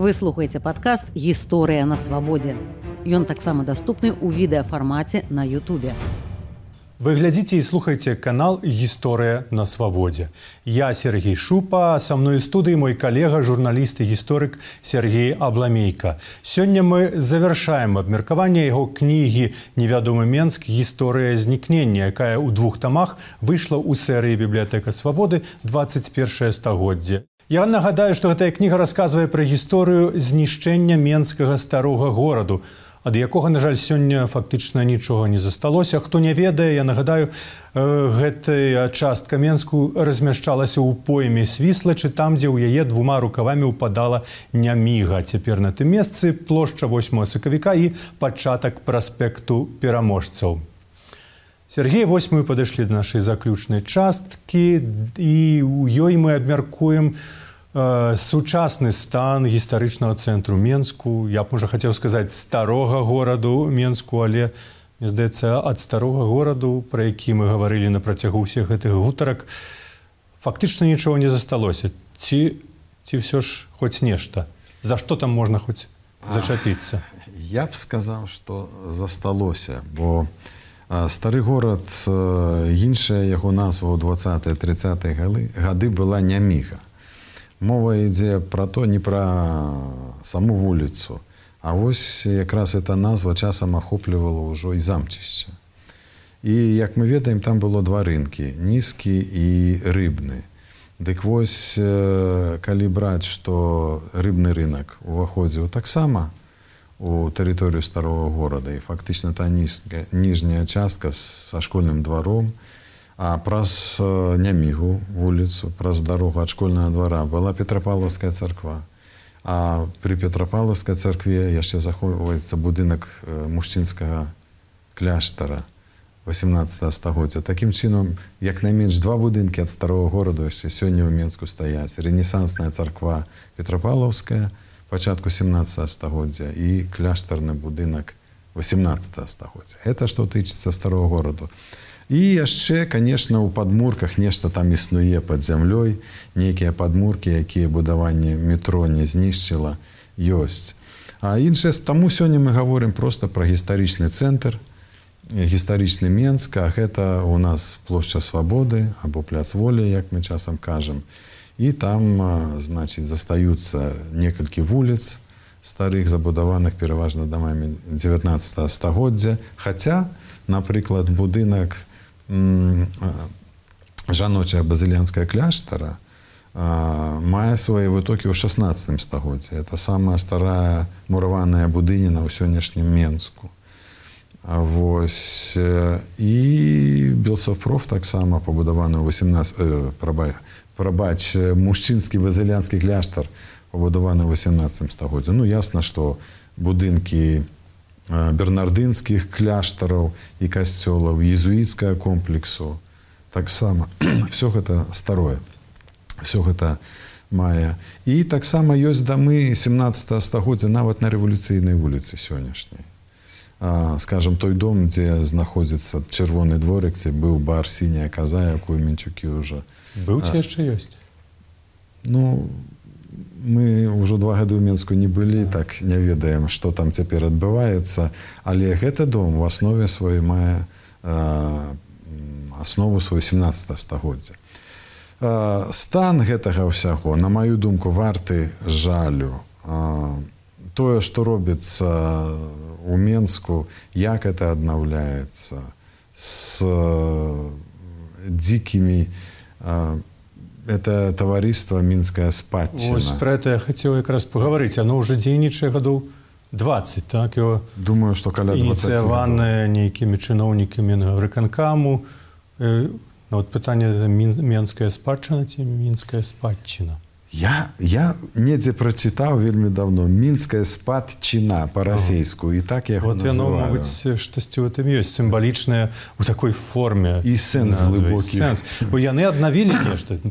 Вы слухаеце падкаст «Гісторыя на свабодзе». Ён таксама даступны ў відэафармаце на Ютубе. Вы глядзіце і слухаеце канал «Гісторыя на свабодзе». Я Сергей Шупа, са мной у студыі мой калега, журналіст і гісторык Сергей Абламейка. Сёння мы завяршаем абмеркаванне яго кнігі «Невядомы Менск. Гісторыя знікнення», якая ў 2 тамах выйшла ў серыі «Бібліятэка свабоды. 21 стагоддзе». Я нагадаю, што гэтая кніга расказвае пра гісторыю знішчэння менскага старога гораду, ад якога, на жаль, сёння фактычна нічога не засталося. Хто не ведае, я нагадаю, гэтая частка Менску размяшчалася ў пойме Свіслачы, там, дзе ў яе 2 рукавамі ўпадала Няміга. Цяпер на тым месцы плошча 8 сакавіка і пачатак праспекту пераможцаў. Сергей, вось мы падышлі да нашай заключнай часткі, і ў ёй мы абмяркуем сучасны стан гістарычнага цэнтру Менску. Я б, можа, хацеў сказаць старога гораду Менску, але, мне здаецца, ад старога гораду, пра які мы гаварылі на працягу ўсіх гэтых гутарак, фактычна нічога не засталося. Ці ўсё ж хоць нешта? За што там можна хоць зачапіцца? Я б сказаў, што засталося, бо стары горад, іншая яго назва ў 20-30-е гады была Няміга. Мова ідзе пра то, не пра саму вуліцу, а вось якраз эта назва часам ахоплівала ўжо і замчышча. І, як мы ведаем, там было 2 рынкі, нізкі і рыбны. Дык вось, калі браць, што рыбны рынак уваходзіў таксама у тэрыторыю старого горада, і фактычна та ніжняя частка са школьным дваром, а праз Нямігу вуліцу, праз дарогу ад школьнага двара была Петрапаўлаўская царква. А пры Петрапаўлаўскай царкве яшчэ захоўваецца будынак мужчынскага кляштара 18 стагоддзя. Такім чынам, як найменш 2 будынкі ад старого гораду яшчэ сёння ў Менску стаяць. Рэнесансная царква Петрапаўлаўская пачатку 17 стагоддзя і кляштарны будынак 18 стагоддзя. Это што тычыцца старого гораду. І яшчэ, конечно, у падмурках нешта там існуе пад зямлёй, нейкія падмуркі, якія будаванне метро не знішчыла, ёсць. А іншае, таму сёння мы гаворым проста пра гістарычны цэнтр, гістарычны Менск, а гэта у нас плошча Свабоды або пляц Волі, як мы часам кажам. І там, значыць, застаюцца некалькі вуліц старых, забудаваных пераважна дамамі 19 стагоддзя. Хаця, напрыклад, будынак жаночая базыльянская кляштара мае свае вытокі ў 16 стагоддзі. Это самая старая мураваная будыніна ў сённяшнім Менску. Вось. І Белсофпроф таксама пабудаваны ў 18... мужчынскі базыльянскі кляштар пабудаваны ў 18 стагоддзі. Ну, ясна, што будынкі бернардынскіх кляштараў і касцёлаў, езуіцкага комплексу таксама. Всё гэта старое. Всё гэта мае. І таксама ёсць дамы 17 стагоддзя нават на рэвалюцыйнай вуліцы сённяшняй. Скажам, той дом, дзе знаходзіцца чырвоны дворык, дзе быў бар «Сіняя каза», якую Менчукі ўжо... Быў ці яшчэ ёсць? Ну, мы ўжо 2 гады ў Менску не былі, так не ведаем, што там цяпер адбываецца, але гэты дом у аснове сваёй мае аснову сваю 17 стагоддзя. Стан гэтага ўсяго, на маю думку, варты жалю. Тое, што робіцца у Менску, як гэта аднаўляецца з дзікімі... Это таварыства «Мінская спадчына». Вось пра это я хацеў якраз пагаварыць. Оно ўжо дзейнічае гадоў 20, так? Думаю, што каля 20 ініцыяванае нейкімі чыноўнікамі выканкаму. Вот пытанне «Менская спадчына» ці «Мінская спадчына». Я недзе прачытаў вельмі давно «Мінская спадчына» па-расейску, і так я яго называю. Вот яно, мабыць, штосьці ў гэтым ёсць, сімвалічнае ў такой форме. І сэнс глыбокі. Бо яны аднавілі нешта,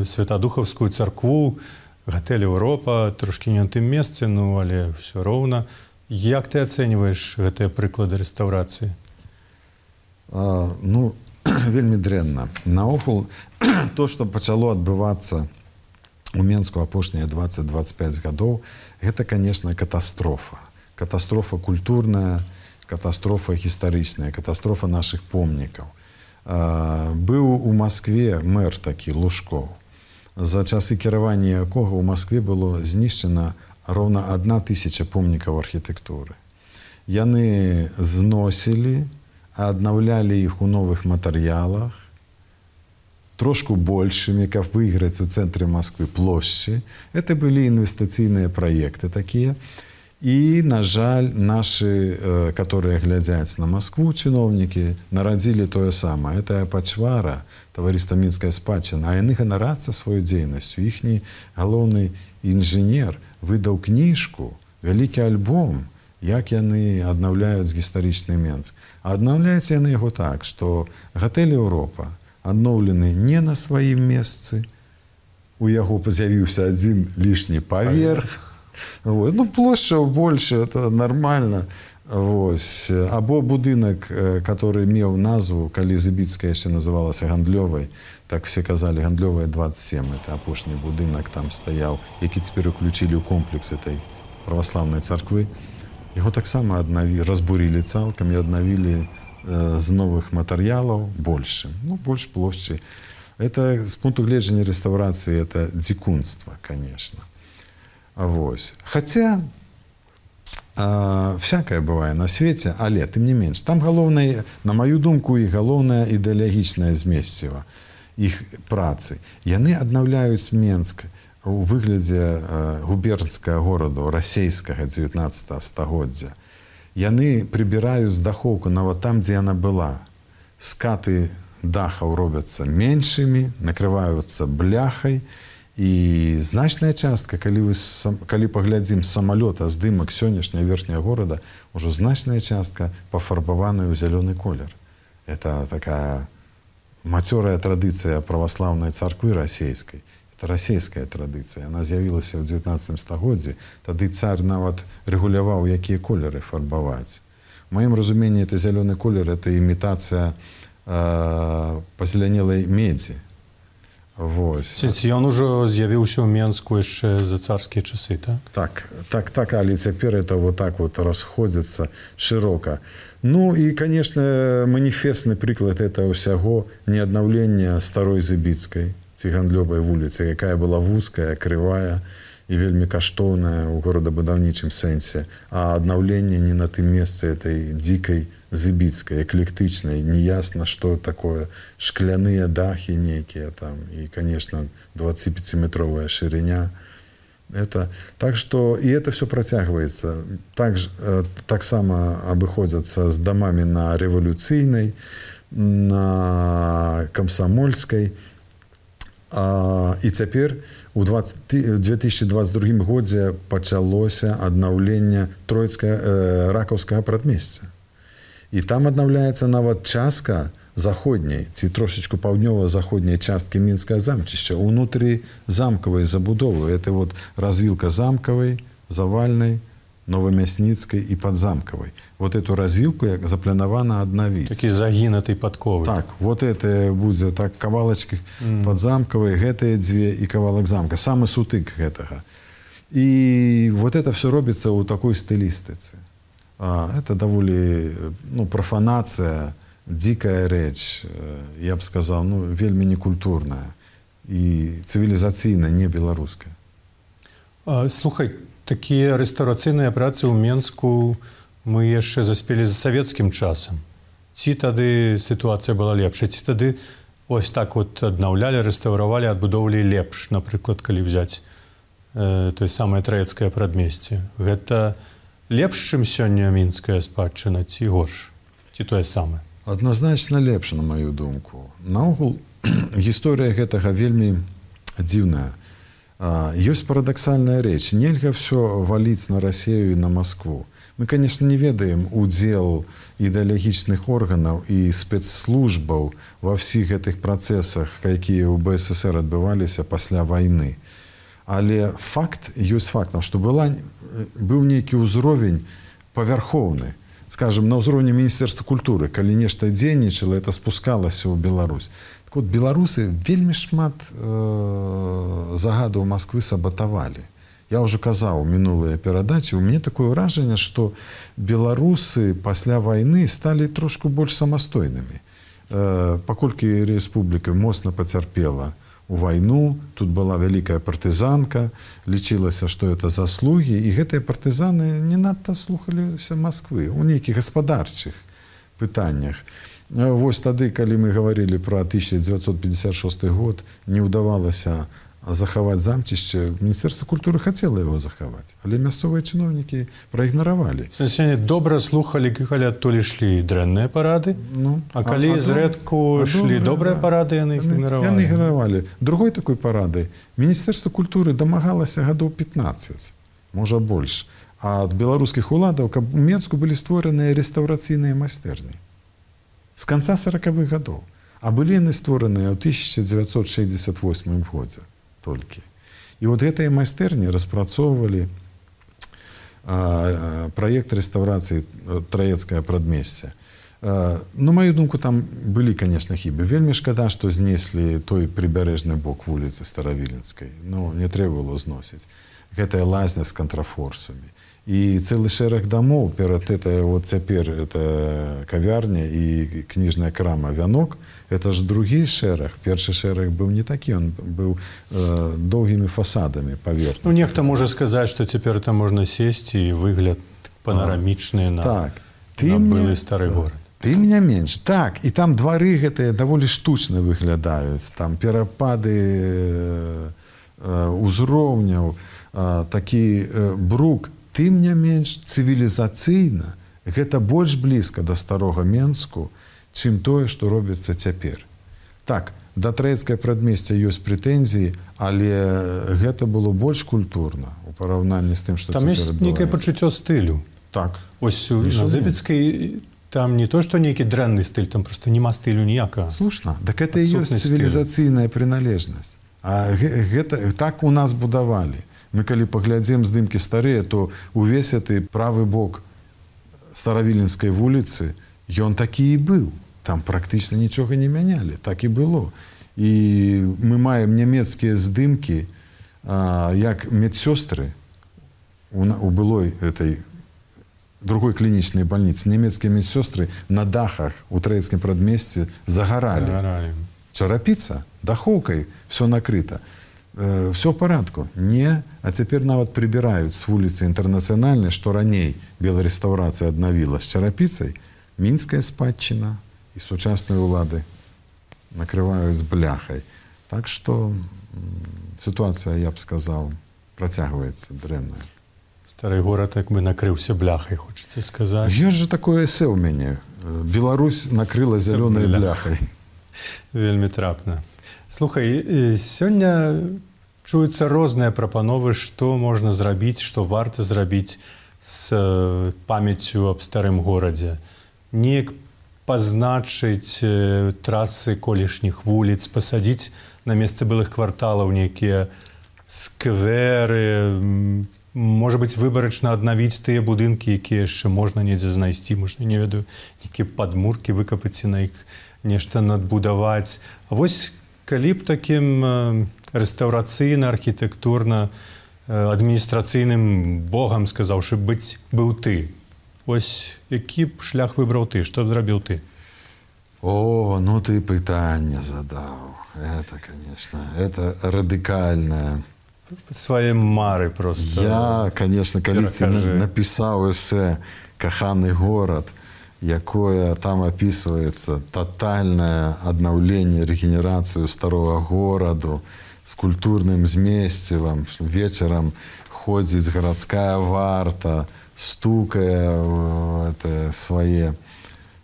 Святадухаўскую царкву, гатэль «Еўропа», трошкі не на тым месцы, ну, але ўсё роўна. Як ты ацэньваеш гэтыя прыклады рэстаўрацыі? Ну, вельмі дрэнна. Наогул, то, што пачало адбывацца у Менску апошнія 20-25 гадоў, гэта, конечно, катастрофа. Катастрофа культурная, катастрофа гістарычная, катастрофа нашых помнікаў. Быў у Маскве мэр такі Лужкоў. За часы кіравання якога ў Маскве было знішчана роўна 1000 помнікаў архітэктуры. Яны зносілі, аднаўлялі іх у новых матэрыялах, трошку большими, каб выйграць у цэнтры Москвы плошчы. Это былі інвестыцыйныя праекты такія. І, на жаль, нашы, которые глядзяць на Москву, чыноўнікі, нарадзілі тое самае. Это пачвара, таварыства Мінская спадчына, а яны ганарацца сваёй дзейнасцю. Іхні галоўны інжынер выдаў кніжку, вялікі альбом, як яны аднаўляюць гістарычны Менск. А аднаўляюць яны яго так, што гатэль Еўропа адноўлены не на сваім месцы. У яго з'явіўся адзін лішні паверх. Вот. Ну, плошча больше, это нормально. Вось. Або будынак, который меў назву, калі Зыбіцкая яшчэ называлася Гандлёвай, так все казалі, Гандлёвая 27, это апошні будынак там стаяў, які цяпер уключілі ў комплекс этой праваслаўнай царквы. Яго таксама разбурілі цалкам і аднавілі з новых матэрыялаў большым, ну, больш плошчы. Это, з пункту гледжання рэстаўрацыі, это дзікунства, конечно. Вось. Хаця, всякае бывае на свеце, але, тым не менш, там галоўнае, на маю думку, і галоўнае ідэалагічнае змесціва іх працы. Яны аднаўляюць Менск у выглядзе губернскага гораду, расейскага 19 стагоддзя. Яны прыбіраюць дахоўку нават там, дзе яна была. Скаты дахаў робяцца меншымі, накрываюцца бляхай, і значная частка, калі паглядзім з самалёта здымак сённяшняга верхняга горада, ужо значная частка пафарбаваная ў зялёны колер. Это такая мацёрая традыцыя праваслаўнай царквы расейскай. Это расійская традыцыя. Яна з'явілася ў 19 стагоддзі. Тады цар нават рэгуляваў, якія колеры фарбаваць. У маім разуменні, это зялёны колер, это імітацыя пазелянелай медзі. Вось. Ён ужо з'явіўся ў Менску яшчэ за царскія часы, так? Так, але цяпер это вот так вот расходзіцца шырока. Ну і, конечно, маніфестны прыклад это ўсяго не аднаўлення старой Зыбіцкай, ці Гандлёвай вуліцы, якая была вузкая, крывая і вельмі каштоўная ў горадабудаўнічым сэнсе, а аднаўленне не на тым месцы этой дзікай Зыбіцкай, эклектычнай, неясна, што такое, шкляныя дахі нейкія там, і, конечно, 25-метровая шырыня. Это, так что, и это все протягивается. Так само обыходятся с домами на Революцийной, на Комсомольской. І цяпер у 2022 годзе пачалося аднаўленне ракаўскага прадмесця. І там аднаўляецца нават частка заходняй, ці трошечку паўднёва-заходняй часткі Мінскага замчышча, унутры замкавай забудовы. Это вот развілка замкавай, завальнай, новамясніцкай і падзамкавай. Вот эту развілку як запланавана аднавіць. Такі загінатый падковы. Так, вот это будзе так кавалачкі падзамкавай, гэтыя дзве і кавалак замка. Самы сутык гэтага. І вот это все робіцца ў такой стылістыцы. Это даволі, ну, профанацыя, дзікая рэч, я б сказаў, ну, вельмі некультурная і цывілізацыйна не беларуская. Слухай, такія рэстаўрацыйныя працы ў Менску мы яшчэ заспелі за савецкім часам. Ці тады сітуацыя была лепшая, ці тады ось так вот аднаўлялі, рэстаўравалі, адбудоўвалі лепш, напрыклад, калі взяць тое самае траецкае прадмесце. Гэта лепш, чым сёння мінская спадчына, ці горш, ці тое самае? Адназначна лепш, на маю думку. Наогул, гісторыя гэтага вельмі дзіўная. Ёсць парадаксальная рэч. Нельга ўсё валіць на Расію і на Маскву. Мы, конечно, не ведаем удзел ідэалагічных органаў і спецслужбаў ва ўсіх гэтых працэсах, якія ў БССР адбываліся пасля вайны. Але факт ёсць фактам, што быў нейкі ўзровень павярхоўны. скажем, на ўзроўні Міністэрства культуры, калі нешта дзейнічала, это спускалася ў Беларусь. Так вот, беларусы вельмі шмат загадаў Москвы сабатавалі. Я ўжо казаў у мінулыя перадачы, у мяне такое ўражанне, што беларусы пасля вайны сталі трошку больш самастойнымі. Паколькі рэспубліка моцна пацярпела у вайну, тут была вялікая партызанка, лічылася, што это заслугі, і гэтыя партызаны не надта слухаліся Москвы у нейкіх гаспадарчых пытаннях. Вось тады, калі мы гаварылі пра 1956 год, не ўдавалася захаваць замчышча, Міністэрства культуры хацела яго захаваць, але мясцовыя чыноўнікі праігнаравалі. Сенсяне добра слухалі, калі адтуль ішлі дрэнныя парады, а калі зрэдку ішлі добрыя парады, яны іх ігнаравалі. Яны ігнаравалі. Другой такой парады Міністэрства культуры дамагалася гадоў 15, можа больш, а ад беларускіх уладаў, каб у Менску былі створаныя рэстаўрацыйныя майстэрні. З канца 40-х гадоў. А былі яны створаныя ў 1968 годзе толькі. І вот гэтыя майстэрні распрацоўвалі праект рэстаўрацыі Траецкае прадмесце. На маю думку, там былі, конечно, хібы. Вельмі шкада, што знеслі той прыбярэжны бок вуліцы Старавіленскай. Ну, не трэба было зносіць. Гэтая лазня з кантрафорсамі. І цэлы шэраг дамоў перад этой, вот цяпер это кавярня і кніжная крама «Вянок», это ж другі шэраг. Першы шэраг быў не такі, он быў доўгімі фасадамі паверхні. Ну, нехта можа сказаць, што цяпер там можна сесці і выгляд панарамічны на былы стары горад. Тым не менш, так, і там двары гэтыя даволі штучна выглядаюць, там перапады узроўняў, такі брук. Тым не менш, цывілізацыйна гэта больш блізка да старога Менску, чым тое, што робіцца цяпер. Так, да Траецкае прадмесця ёсць прэтэнзіі, але гэта было больш культурна у параўнанні з тым, што там цяпер ёсць нейкае пачуццё стылю. Так. Ось на Зыбіцкай там не то, што нейкі дрэнны стыль, там проста няма стылю ніякага. Слушна, так гэта і ёсць цывілізацыйная прыналежнасць. А гэта так у нас будавалі. Мы, калі паглядзім здымкі старыя, то увесь гэты правы бок Старавіленскай вуліцы, ён такі і быў. Там практычна нічога не мянялі. Так і было. І мы маем нямецкія здымкі, як медсёстры у былой этой другой клінічнай бальніцы. Нямецкія медсёстры на дахах у Траецкім прадмесці загаралі. Чарапіца, дахоўкай, все накрыта. Все в парадку. Не, а цяпер нават прыбіраюць з вуліцы Інтэрнацыянальнай, што раней беларэстаўрацыя аднавіла з чарапіцай, мінская спадчына і сучасныя ўлады накрываюць бляхай. Так што сітуацыя, я б сказаў, працягваецца дрэнная. Стары горад як бы накрыўся бляхай, хочаце сказаць. Ёсць жа такое эсэ ў мяне. Беларусь накрыла зялёнай бляхай. Вельмі трапна. Слухай, сёння чуюцца розныя прапановы, што можна зрабіць, што варта зрабіць з памяццю аб старым горадзе. Неяк пазначыць трасы колішніх вуліц, пасадзіць на месцы былых кварталаў нейкія скверы, можа быць, выбарачна аднавіць тыя будынкі, якія яшчэ можна недзе знайсці, можна, не ведаю, нейкія падмуркі выкапаць і на іх нешта надбудаваць. А вось калі б такім рэстаўрацыйна, архітэктурна, адміністрацыйным богам, сказаўшы, быў ты. Ось які б шлях выбраў ты, што б зрабіў ты? О, ну ты пытанне задаў. Это, конечно, это радыкальнае. Свае мары просто. Я, конечно, калісьці напісаў эсэ «Каханы горад», якое там описывается тотальное аднаўленне, регенерацию старого гораду с культурным змесцівам. Вечером ходзіць гарадская варта, стукая свае,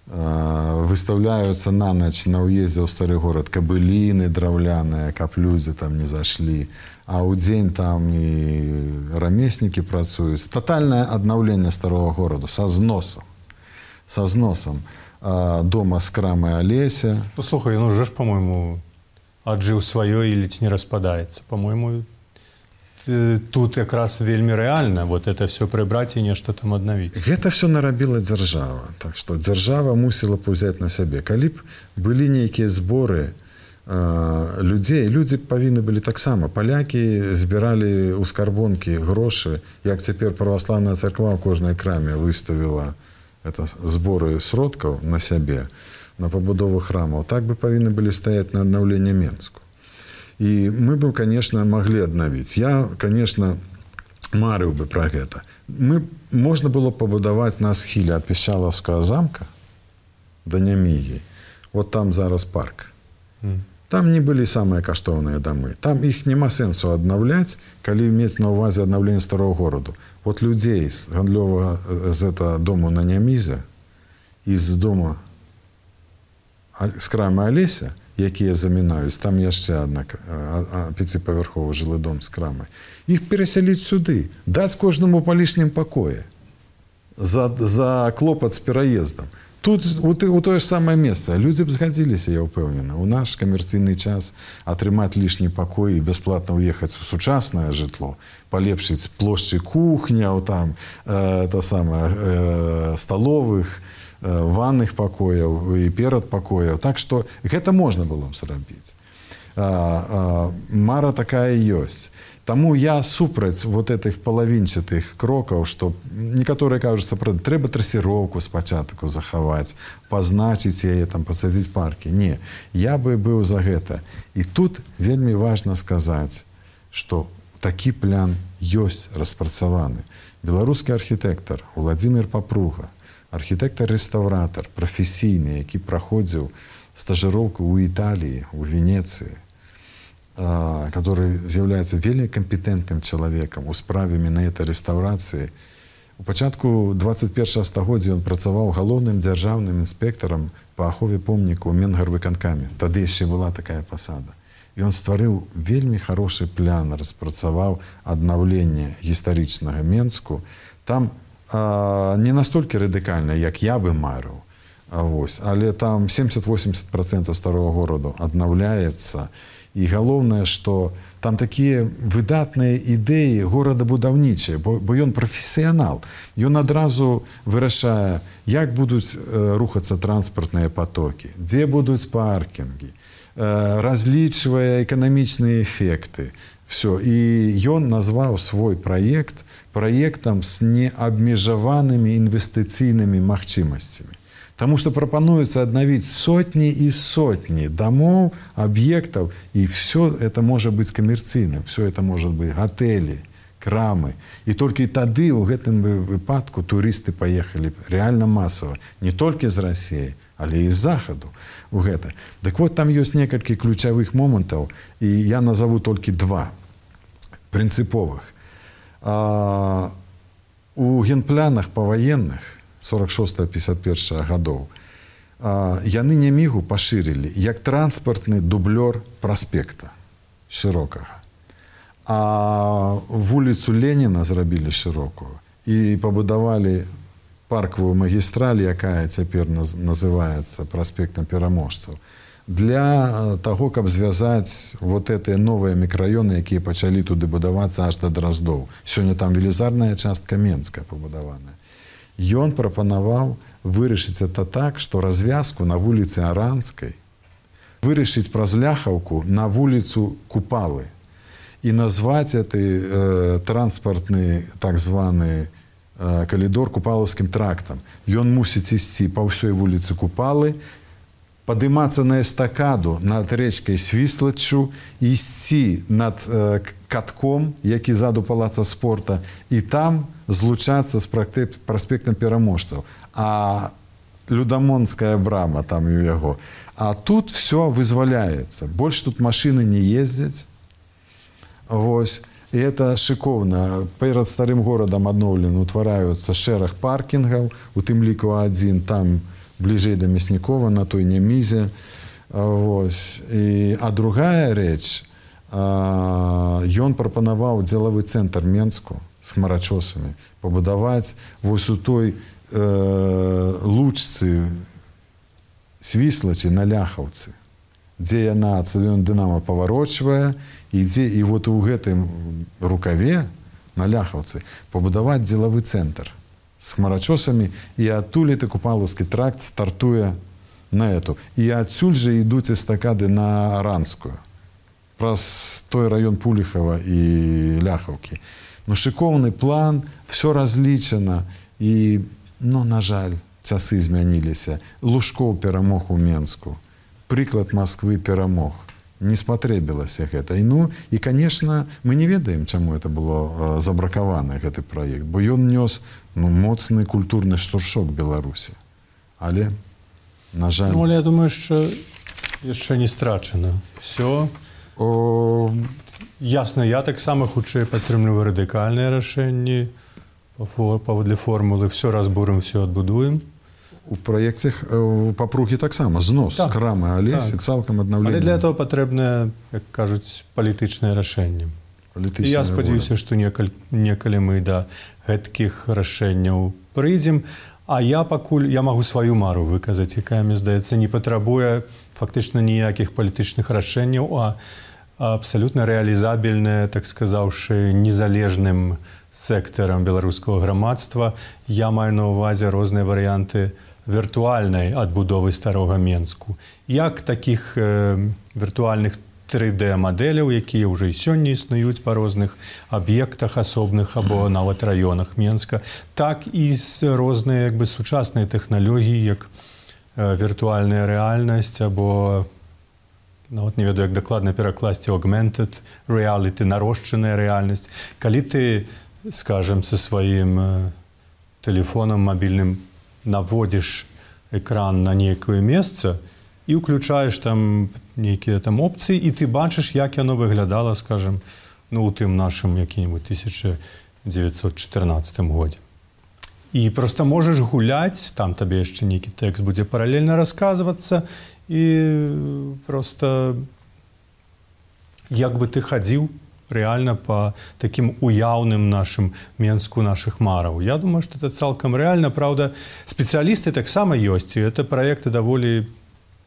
выставляются на ноч на уезде ў стары город кабыліны драўляныя, каб людзі там не зашлі. А ў дзень там і рамеснікі працуюць. Тотальное аднаўленне старого гораду са зносам. Со зносом дома с крамой Олеся. Послухай, ну уже ж, по-моему, отжил свое или не распадается. По-моему, тут якраз вельмі рэальна вот это все прыбраць і нешта там аднавіць. Гэта все нарабіла дзяржава. Так што дзяржава мусіла б узяць на сябе. Калі б былі нейкія зборы людзей, людзі павінны былі таксама. Палякі збіралі ў скарбонкі грошы, як цяпер праваслаўная царква ў кожнай краме выставіла зборы сродкаў на сябе, на пабудову храмаў. Так бы павінны былі стаяць на аднаўленне Менску. І мы бы, конечно, маглі аднавіць. Я, конечно, марыў бы пра гэта. Можна было пабудаваць на схіле ад Пішчалаўскага замка да Нямігі. Вот там зараз парк. Там не былі самыя каштоўныя дамы. Там іх няма сэнсу аднаўляць, калі мець на ўвазе аднаўленне старого гораду. Вот людзей з гандлёвага з дому на Нямізе і з дома з крамы Алеся, якія замінаюць, там яшчэ адна 5павярховы жылы дом з крамай. Іх перасяліць сюды, даць кожнаму па лішнім пакоі за клопат з пераездам. Тут у тое ж самае месца. Людзі б згадзіліся, я ўпэўнена. У наш камерцыйны час атрымаць лішні пакой і бясплатна ўехаць у сучаснае жытло, палепшыць плошчы кухняў, там, сталовых, ванных пакояў і перад пакояў. Так што гэта можна было б зрабіць. Мара такая ёсць. Таму я супраць вот этих палавінчатых крокаў, што некаторыя кажуць, трэба трэсіроўку спачатку захаваць, пазначыць яе, там, пасадзіць паркі. Не, я бы быў за гэта. І тут вельмі важна сказаць, што такі план ёсць распрацаваны. Беларускі архітэктар Уладзімір Папруга, архітэктар-рэстаўратар, прафесійны, які праходзіў стажыроўку ў Італіі, у Венецыі, который з'яўляецца вельмі кампетэнтным чалавекам у справе менавіта рэстаўрацыі. У пачатку 21 стагоддзя ён працаваў галоўным дзяржаўным інспектарам па ахове помніку ў Менгарвыканкаме. Тады яшчэ была такая пасада. І ён стварыў вельмі хорошы план, распрацаваў аднаўленне гістарычнага Менску. Там не настолькі радыкальна, як я бы марыў, але там 70-80% старого гораду аднаўляецца. І галоўнае, што там такія выдатныя ідэі горадабудаўнічыя, бо ён прафесіянал. Ён адразу вырашае, як будуць рухацца транспартныя потокі, дзе будуць паркінгі, разлічвае эканамічныя эфекты. Все. І ён назваў свой праект праектам з неабмежаванымі інвестыцыйнымі магчымасцямі. Таму што прапануецца аднавіць сотні і сотні дамоў, аб'ектаў, і все это можа быць камерцыйным, все это можа быць гатэлі, крамы. І толькі тады ў гэтым выпадку турысты паехалі рэальна масава, не толькі з Расіі, але і з захаду у гэта. Так вот, там ёсць некалькі ключавых момантаў, і я назову толькі два прынцыповых. У генпланах паваенных 46-51 гадоў яны Нямігу пашырылі як транспартны дублёр праспекта шырокага. А вуліцу Леніна зрабілі шырокую і пабудавалі паркавую магістраль, якая цяпер называецца праспектам пераможцаў, для таго, каб звязаць вот гэтыя новыя мікрараёны, якія пачалі туды будавацца аж да Драздоў. Сёння там велізарная частка Менская пабудаваная. Ён прапанаваў вырашыць это так, што развязку на вуліцы Аранскай вырашыць праз Ляхаўку на вуліцу Купалы і назваць гэты транспартны так званы калідор Купалаўскім трактам. Ён мусіць ісці па ўсёй вуліцы Купалы, падымацца на эстакаду над рэчкай Свіслаччу, ісці над катком, які ззаду палаца спорта, і там злучацца з праспектам пераможцаў. А Людамонская брама там у яго. А тут все вызваляецца. Больш тут машыны не ездзяць. Вось. І это шыкоўна. Перад старым горадам адноўлена утвараюцца шэраг паркінгаў, у тым ліку адзін там бліжэй да Мяснікова, на той Нямізе. А другая рэч, ён прапанаваў дзелавы цэнтр Менску з хмарачосамі пабудаваць вось у той лучцы Свіслачы на Ляхаўцы, дзе яна ад стадыёна Дынама паварочвае, і вот у гэтым рукаве, на Ляхаўцы, пабудаваць дзелавы цэнтр з хмарачосамі, і адтуль ты Купалаўскі тракт стартуе на эту. І адсюль жа ідуць эстакады на Аранскую, праз той раён Пуліхава і Ляхаўкі. Ну, шыкоўны план, все разлічана, і, ну, на жаль, часы змяніліся. Лужкоў перамог у Менску. Прыклад Масквы перамог. Не спатрэбілася гэта. І, ну, і, конечно, мы не ведаем, чаму это было забракавана, гэты праект, бо ён нёс, ну, моцны культурны штуршок Беларусі. Але, на жаль... Ну, але я думаю, що яшчэ не страчана. Все... Ясна, я таксама хутчэй падтрымліваю радыкальныя рашэнні паводле формулы «все разбурым, все адбудуем». У праекце Папругі таксама знос крамы Алесі, цалкам аднаўленне. Але для этого патрэбнае, як кажуць, палітычнае рашэнне. І я спадзяюся, што некалі мы да гэткіх рашэнняў прыйдзем. А я пакуль, я магу сваю мару выказаць, якая, мне здаецца, не патрабуе фактычна ніякіх палітычных рашэнняў, а абсалютна рэалізабельная, так сказаўшы, незалежным сектарам беларускага грамадства. Я маю на ўвазе розныя варыянты віртуальнай адбудовы старога Менску. Як такіх віртуальных 3D-мадэляў, якія ўжо і сёння існуюць па розных аб'ектах асобных або нават раёнах Менска, так і з розныя, як бы, сучасныя тэхналогіі, як віртуальная рэальнасць або, нават не ведаю, як дакладна перакласці, augmented reality, нарошчаная рэальнасць. Калі ты, скажем, са сваім тэлефонам мабільным наводзіш экран на нейкае месца і ўключаеш там нейкія там опцыі, і ты бачыш, як яно выглядала, скажем, ну, у тым нашым які-небудзь 1914 годзе. І проста можаш гуляць, там табе яшчэ нейкі тэкст будзе паралельна расказвацца, і проста як бы ты хадзіў рэальна па такім уяўным нашым Менску нашых мараў. Я думаю, што это цалкам рэальна. Праўда, спецыялісты таксама ёсць, і гэта праекты даволі,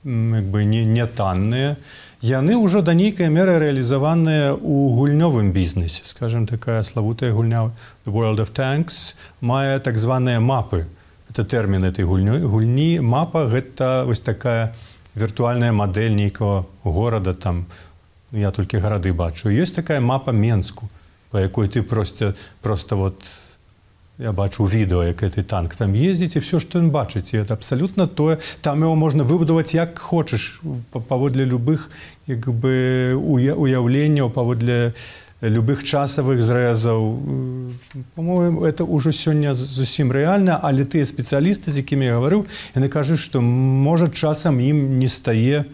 як бы, не танныя. Яны ўжо да нейкай меры рэалізаваныя ў гульнёвым бізнесе. Скажем, такая славутая гульня The World of Tanks мае так званыя мапы. Это тэрмін этой гульні. Мапа — гэта вось такая віртуальная мадэль нейкага горада, там, я толькі гарады бачу. Ёсць такая мапа Менску, па якой ты проста вот, я бачу відэо, як гэты танк там ездзіць, і все, што ён бачыць. І это абсалютна тое. Там яго можна выбудаваць як хочаш, паводле любых, як бы, уяўленняў, паводле любых часавых зрэзаў. По-моему, это ўжо сёння зусім рэальна, але тыя спецыялісты, з якімі я гаварыў, яны кажуць, што, можа, часам ім не стае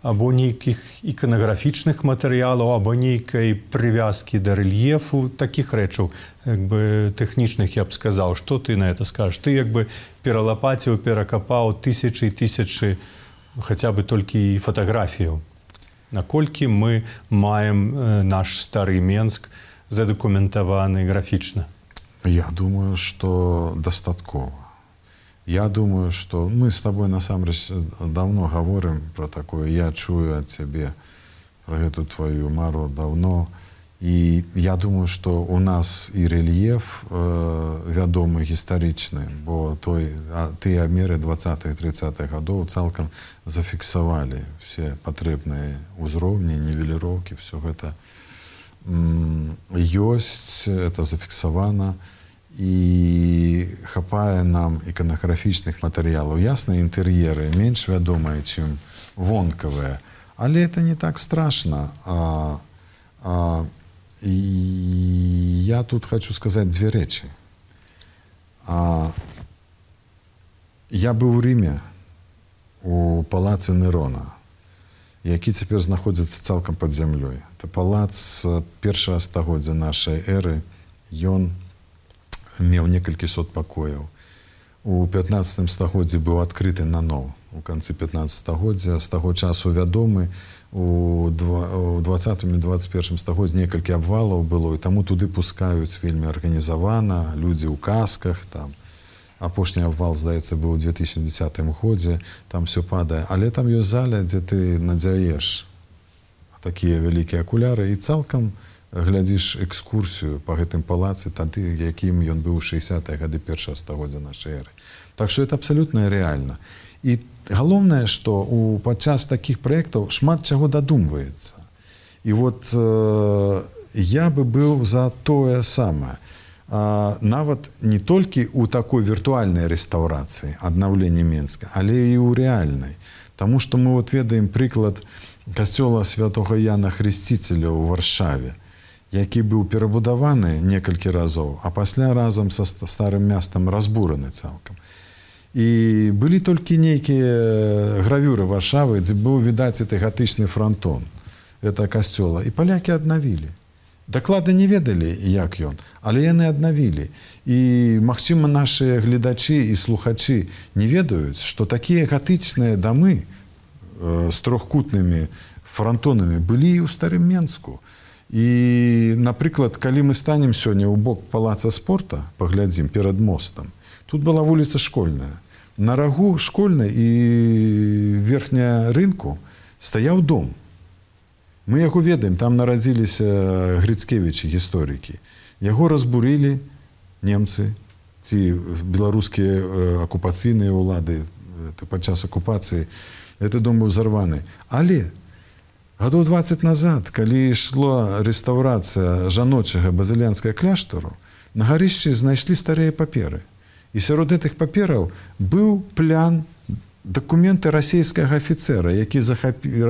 або нейкіх іканаграфічных матэрыялаў, або нейкай прывязкі да рэльефу, такіх рэчаў, як бы, тэхнічных, я б сказаў. Што ты на это скажаш? Ты, як бы, пералапаціў, перакапаў тысячы і тысячы, хаця бы толькі фатаграфіяў. Наколькі мы маем наш стары Менск задакументаваны графічна? Я думаю, што дастаткова. Я думаю, что мы с тобой, насамрэч, давно говорим про такое. Я чую от цябе про эту твою мару давно. И я думаю, что у нас и рельеф вядомы гістарычны, бо тыя меры 20-30-х годов цалкам зафіксавалі все патрэбныя ўзроўні, нівеліроўкі, все гэта ёсць, это зафіксавана. І хапае нам іканаграфічных матэрыялаў. Ясна, інтэр'еры менш вядомыя, чым вонкавыя, але это не так страшна. І я тут хочу сказаць дзве рэчы. Я быў у Рыме, у палацы Нерона, які цяпер знаходзіцца цалкам пад зямлёй. Это палац першага стагоддзя нашай эры. Ён меў некалькі сот пакояў. У 15 стагоддзі быў адкрыты наноў. У канцы 15 стагоддзя, з таго часу вядомы. У 20-м і 21-м стагоддзі некалькі абвалаў было, і таму туды пускаюць вельмі арганізавана, людзі ў касках. Там. Апошні абвал, здаецца, быў у 2010 годзе, там все падае. Але там ёсць заля, дзе ты надзяеш такія вялікія акуляры, і цалкам глядзіш экскурсію па гэтым палацы, тады, якім ён быў у 60-е гады першага стагоддзя нашай эры. Так што это абсалютна рэальна. І галоўнае, што падчас такіх праектаў шмат чаго дадумваецца. І вот я бы быў за тое самае. Нават не толькі ў такой віртуальнай рэстаўрацыі, аднаўлення Менска, але і ў рэальнай. Таму што мы вот ведаем прыклад касцёла святога Яна Хрысціцеля ў Варшаве, які быў перабудаваны некалькі разоў, а пасля разам са старым мястам разбураны цалкам. І былі толькі нейкія гравюры Варшавы, дзе быў відаць гэты гатычны франтон гэтага касцёла. І палякі аднавілі. Дакладна не ведалі, як ён, але яны аднавілі. І, магчыма, нашы гледачы і слухачы не ведаюць, што такія гатычныя дамы з трохкутнымі франтонамі былі і ў старым Менску. І, напрыклад, калі мы станем сёння ў бок палаца спорта, паглядзім перад мостам, тут была вуліца Школьная. На рагу Школьнай і верхня рынку стаяў дом. Мы яго ведаем, там нарадзіліся Грыцкевічы, гісторыкі. Яго разбурылі немцы, ці беларускія акупацыйныя ўлады падчас акупацыі. Гэты дом быў зарваны. Але гадоў 20 назад, калі ішла рэстаўрацыя жаночага базылянскага кляштару, на гарышчы знайшлі старыя паперы. І сярод гэтых папераў быў плян, дакументы расійскага афіцэра, які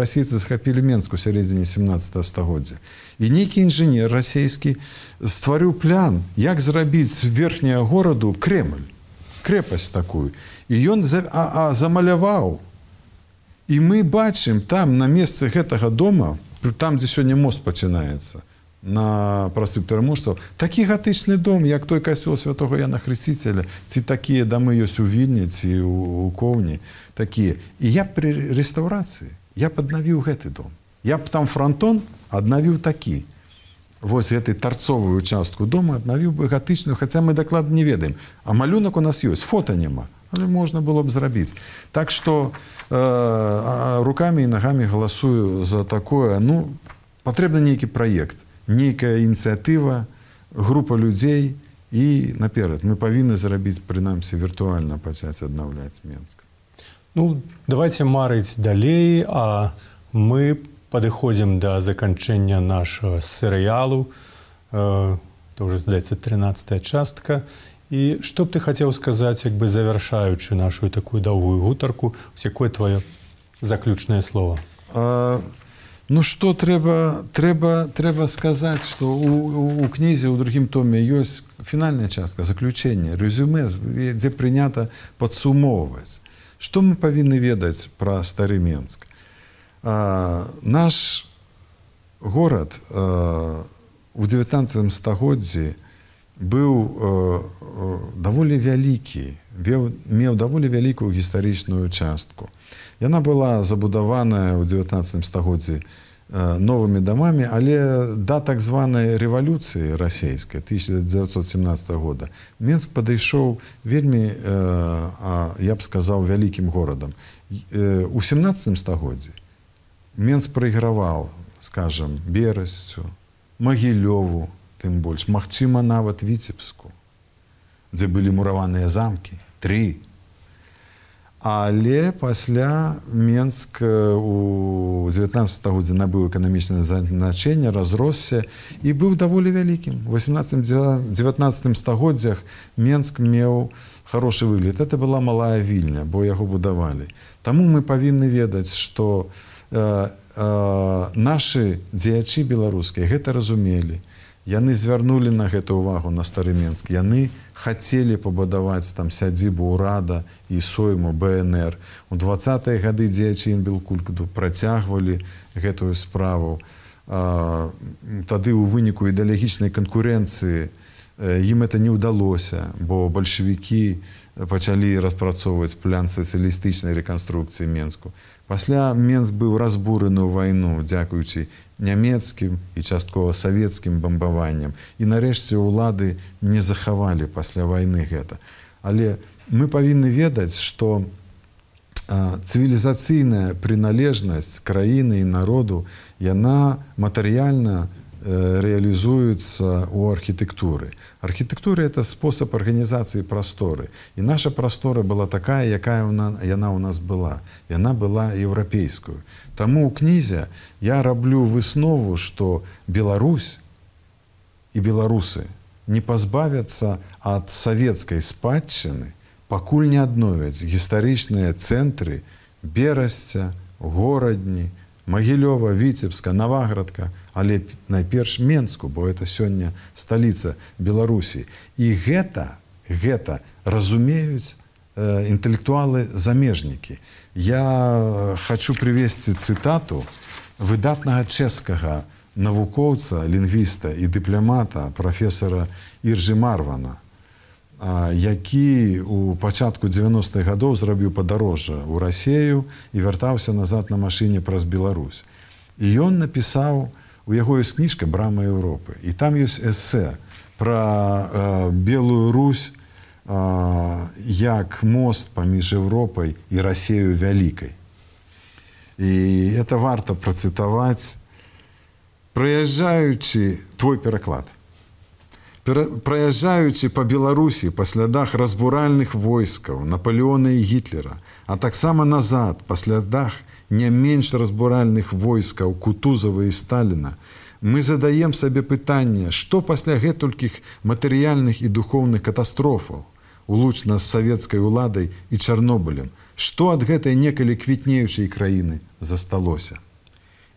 расейцы захапілі Менск у сярэдзіне 17 стагоддзя. І нейкі інжынер расійскі стварыў плян, як зрабіць з верхняга гораду Кремль, крэпасць такую. І ён замаляваў. І мы бачым там, на месцы гэтага дома, там, дзе сёння мост пачынаецца, на проспект Пераможцаў, такі гатычны дом, як той касцёл святога Яна Хрысціцеля, ці такія дамы ёсць у Вільні, ці ў Коўні, такія. І я пры рэстаўрацыі, я б аднавіў гэты дом. Я б там франтон аднавіў такі. Вось гэты тарцовую частку дома аднавіў бы гатычную, хаця мы дакладна не ведаем. А малюнак у нас ёсць, фота няма, але можна было б зрабіць. Так што рукамі і нагамі галасую за такое. Ну, патрэбны нейкі праект, нейкая ініцыятыва, група людзей і наперад. Мы павінны зрабіць, прынамсі, віртуальна пачаць аднаўляць Менск. Ну, давайте марыць далей, а мы падыходзім да заканчэння нашага серыялу. То ўжо, здаецца, 13-я частка. І што б ты хацеў сказаць, як бы завяршаючы нашу такую доўгую гутарку, якое твоё заключнае слово? Ну што трэба сказаць, што у кнізе ў другім томе ёсць фінальная частка, заключэнне, рэзюме, дзе прынята падсумоўваць. Што мы павінны ведаць пра стары Менск? Наш горад у 19 стагоддзі быў даволі вялікі, меў даволі вялікую гістарычную частку. Яна была забудаваная ў 19 стагоддзі новымі дамамі, але да так званай рэвалюцыі расейскай 1917 года Менск падышоў вельмі, я б сказаў, вялікім горадам. У 17 стагоддзі Менск прайграваў, скажам, Берасцю, Магілёву, тым больш, магчыма, нават Віцебску, дзе былі мураваныя замкі, 3. Але пасля Менск у 19 стагоддзі набыў эканамічнае значэнне, разросся і быў даволі вялікім. У 18-19 стагоддзях Менск меў хорошы выгляд. Это была малая Вільня, бо яго будавалі. Таму мы павінны ведаць, што нашы дзеячы беларускія гэта разумелі. Яны звярнулі на гэта ўвагу, на стары Менск. Яны хацелі пабудаваць там сядзібу ўрада і сойму БНР. У 20-е гады дзеячы Інбелкульту працягвалі гэтую справу. Тады ў выніку ідэалагічнай канкурэнцыі ім это не ўдалося, бо бальшавікі пачалі распрацоўваць план сацыялістычнай рэканструкцыі Менску. Пасля Менск быў разбураны ў вайну, дзякуючы нямецкім і часткова савецкім бамбаванням. І нарэшце ўлады не захавалі пасля вайны гэта. Але мы павінны ведаць, што цывілізацыйная прыналежнасць краіны і народу, яна матэрыяльна реализуются у архитектуры. Архитектура – это способ организации просторы. И наша простора была такая, якая она у нас была. И она была европейскую. Тому у князя я роблю выснову, что Беларусь и белорусы не позбавятся от советской спадщины, пакуль не адновяць гістарычныя цэнтры Берасця, Горадні, Магілёва, Віцебска, Наваградка, але найперш Менску, бо это сёння сталіца Беларусі. І гэта разумеюць інтэлектуалы-замежнікі. Я хочу привесці цытату выдатнага чэшскага навукоўца, лінгвіста і дыпламата прафесара Іржы Марвана, які у пачатку 90-х гадоў зрабіў падарожжа ў Расею і вяртаўся назад на машыне праз Беларусь. І ён напісаў, у яго ёсць кніжка «Брама Еўропы», і там ёсць эсэ пра Белую Русь як мост паміж Еўропай і Расею вялікай. І это варта працытаваць. Праязджаючы, твой пераклад, праязджаючы па Беларусі па слядах разбуральных войскаў Наполеона і Гітлера, а таксама назад па слядах не менш разбуральных войскаў Кутузова і Сталіна, мы задаем сабе пытанне, што пасля гэтулькіх матэрыяльных і духоўных катастрофаў, улучна з савецкай уладай і Чарнобылем, што ад гэтай некалі квітнеючай краіны засталося.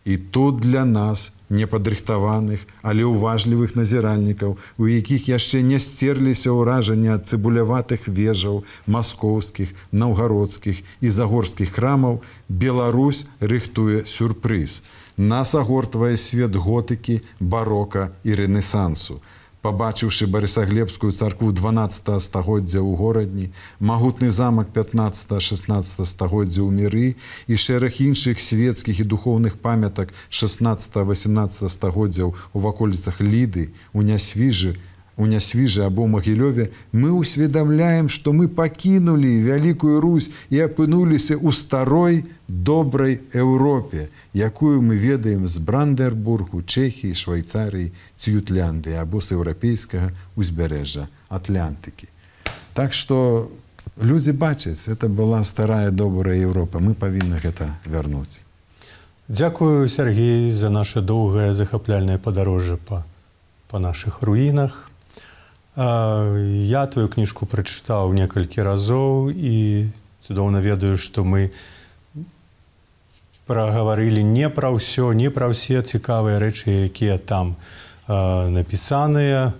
І тут для нас, непадрыхтаваных, але ўважлівых назіральнікаў, у якіх яшчэ не сцерліся ўражанні ад цыбуляватых вежаў маскоўскіх, наўгародскіх і загорскіх храмаў, Беларусь рыхтуе сюрпрыз. Нас агортвае свет готыкі, барока і рэнесансу. Пабачыўшы Барысаглебскую царкву 12 стагоддзя ў Горадні, магутны замак 15-16 стагоддзя ў Міры і шэраг іншых свецкіх і духоўных памятак 16-18 стагоддзяў у ваколіцах Ліды, у Нясвіжы або Магілёве, мы усведамляем, што мы пакінулі Вялікую Русь і апынуліся ў старой, добрай Еўропе, якую мы ведаем з Брандербургу, Чэхіі, Швайцарыі ці Ютлянды або з еўрапейскага ўзбярэжжа Атлантыкі. Так што людзі бачаць, это была старая, добрая Еўропа. Мы павінны гэта вярнуць. Дзякую, Сергей, за наше доўгае захапляльнае падарожжа па нашых руінах. Я твою кніжку прачытаў некалькі разоў і цудоўна ведаю, што мы прагаварылі не пра ўсё, не пра ўсе цікавыя рэчы, якія там напісаныя.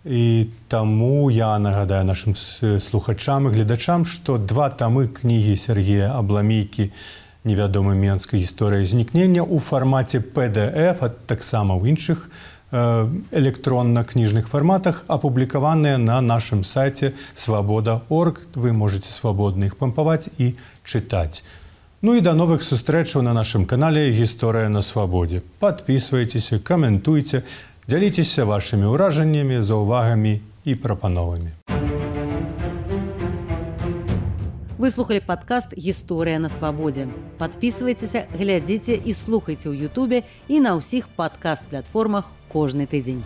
І таму я нагадаю нашым слухачам і гледачам, што 2 тамы кнігі Сергея Абламейкі «Невядомы Менская гісторыя знікнення» у фармаце PDF, а таксама ў іншых электронна-кніжных фарматах, апублікаваныя на нашым сайце свабода.орг. Вы можете свабодна іх пампаваць і чытаць. Ну і да новых сустрэчаў на нашым канале «Гісторыя на свабодзе». Падпісвайцеся, каментуйце, дзяліцеся вашымі ўражаннямі, заўвагамі і прапановамі. Вы слухали падкаст «Гісторыя на свабодзе». Падпісвайцеся, глядзіце і слухайце ў Ютубе і на ўсіх падкаст-платформах кожны тыдзень.